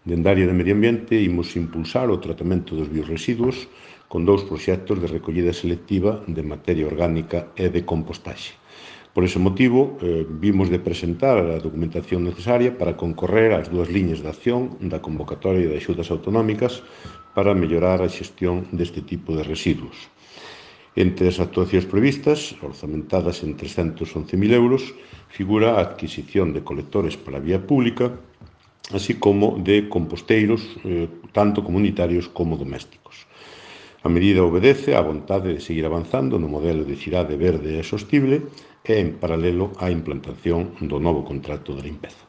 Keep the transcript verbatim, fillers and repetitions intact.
Dende a área de Medio Ambiente imos impulsar o tratamento dos biorresiduos con dous proxectos de recollida selectiva de materia orgánica e de compostaxe. Por ese motivo, eh, vimos de presentar a documentación necesaria para concorrer ás dúas liñas de acción da convocatoria de axudas autonómicas para mellorar a xestión deste tipo de residuos. Entre as actuacións previstas, orzamentadas en trescentos once mil euros, figura a adquisición de colectores para a vía pública, así como de composteiros, eh, tanto comunitarios como domésticos. A medida obedece á vontade de seguir avanzando no modelo de cidade verde e sostible e, en paralelo, á implantación do novo contrato de limpeza.